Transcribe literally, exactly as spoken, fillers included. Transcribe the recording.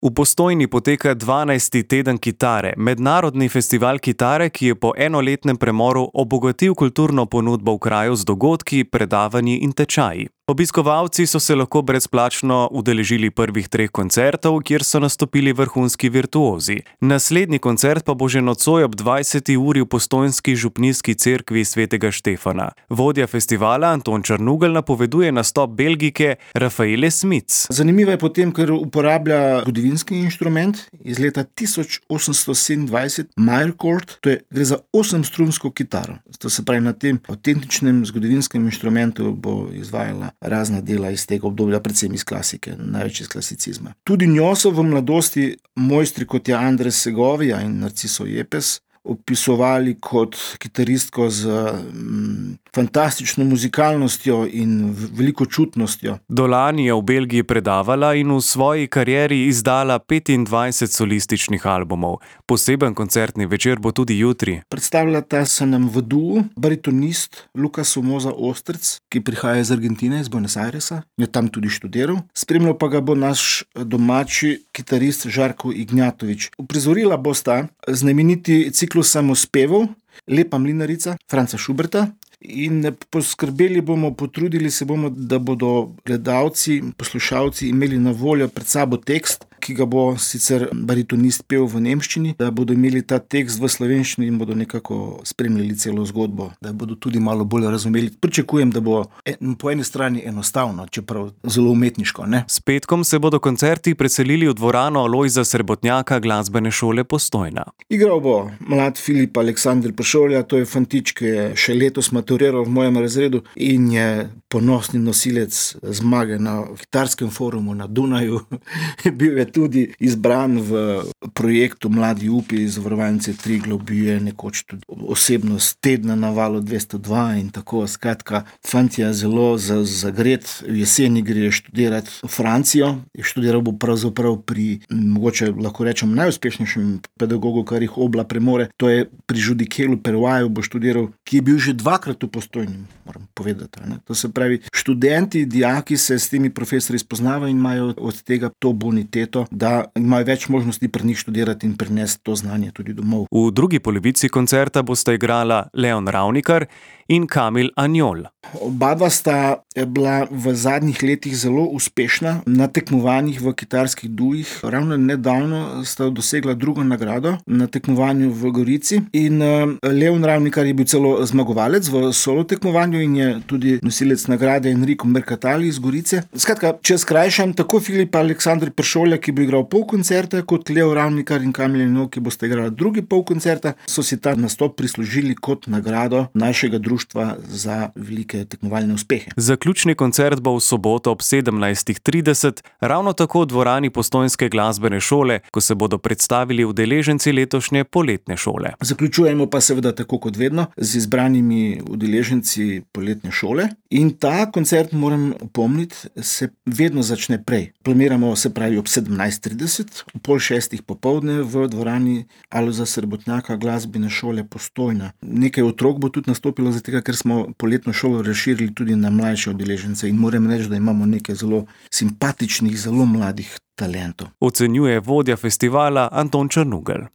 V Postojni poteka dvanajsti teden kitare, mednarodni festival kitare, ki je po enoletnem premoru obogatil kulturno ponudbo v kraju z dogodki, predavanji in tečaji. Obiskovalci so se lahko brezplačno udeležili prvih treh koncertov, kjer so nastopili vrhunski virtuozi. Naslednji koncert pa bo že nocoj ob dvajseti uri v postojnski župnijski cerkvi svetega Štefana. Vodja festivala Anton Črnugelj napoveduje nastop Belgijke Rafaele Smits. Zanimivo je potem, ker uporablja zgodovinski inštrument iz leta tisoč osemsto sedemindvajset, Meyercord, to je gre za osemstrunsko kitaro. To se pravi, na tem avtentičnem zgodovinskem inštrumentu bo izvajala razna dela iz tega obdobja, predvsem iz klasike, največ iz klasicizma. Tudi njo so v mladosti mojstri, kot je Andres Segovia in Narciso Yepes, opisovali kot kitaristko z mm, fantastično muzikalnostjo in veliko čutnostjo. Dolani je v Belgiji predavala in v svoji karieri izdala petindvajset solističnih albumov. Poseben koncertni večer bo tudi jutri. Predstavljata se nam v duu baritonist Luka Somoza Ostrc, ki prihaja iz Argentine, iz Buenos Airesa, je tam tudi študiral. Spremljal pa ga bo naš domači kitarist Žarko Ignjatovič. Uprizorila bosta znameniti ciklus samospevov Lepa mlinarica Franca Schuberta in poskrbeli bomo, potrudili se bomo, da bodo gledalci, poslušalci imeli na voljo pred sabo tekst, ki ga bo sicer baritonist pel v nemščini, da bodo imeli ta tekst v slovenščini in bodo nekako spremljali celo zgodbo, da bodo tudi malo bolj razumeli. Pričakujem, da bo po eni strani enostavno, čeprav zelo umetniško, ne? S petkom se bodo koncerti preselili v dvorano Lojza Srebotnjaka glasbene šole Postojna. Igral bo mlad Filip Aleksandr Pršolja, to je fantič, ki je še letos maturiral v mojem razredu in je ponosni nosilec zmage na kitarskem forumu na Dunaju. Bil je tudi izbran v projektu Mladi upi iz Zavarovalnice Triglav, bil je nekoč tudi osebnost tedna na Valu dvesto dva in tako. Skratka, fant je zelo zagret, v jeseni gre študirati v Francijo. Študiral bo pravzaprav pri, mogoče lahko rečem, najuspešnejšem pedagogu, kar jih Obla premore, to je pri Judikelu Pervaju bo študiral, ki je bil že dvakrat v Postojni, moram povedati. Ne? To se pravi, študenti, dijaki se s temi profesorji spoznavajo in imajo od tega to boniteto, da imajo več možnosti pri njih študirati in prinesti to znanje tudi domov. V drugi polovici koncerta bosta igrala Leon Ravnikar in Kamil Anjol. Obadva sta bila v zadnjih letih zelo uspešna na tekmovanjih v kitarskih duih. Ravno nedavno sta dosegla drugo nagrado na tekmovanju v Gorici in Leon Ravnikar je bil celo zmagovalec v solo tekmovanju in je tudi nosilec nagrade Enrico Mercatali iz Gorice. Skratka, če skrajšam, tako Filip Aleksandr Pršolja, ki bo igral pol koncerta, kot Leon Ravnikar in Kamil Anjol, ki bosta igrala drugi pol koncerta, so si ta nastop prislužili kot nagrado našega društva za velike tekmovalne uspehe. Zaključni koncert bo v soboto ob sedemnajstih trideset, ravno tako v dvorani Postojnske glasbene šole, ko se bodo predstavili udeleženci letošnje poletne šole. Zaključujemo pa seveda tako kot vedno z izbranimi udeleženci poletne šole in ta koncert, moram opomniti, se vedno začne prej. Planiramo, se pravi, ob sedemnajst trideset, v pol šestih popoldne v dvorani Alojza Srebotnjaka glasbene šole Postojna. Nekaj otrok bo tudi nastopilo, zato ker smo poletno šolo razširili tudi na mlajše udeležence in moram reči, da imamo nekaj zelo simpatičnih, zelo mladih talentov. Ocenjuje vodja festivala Anton Črnugelj.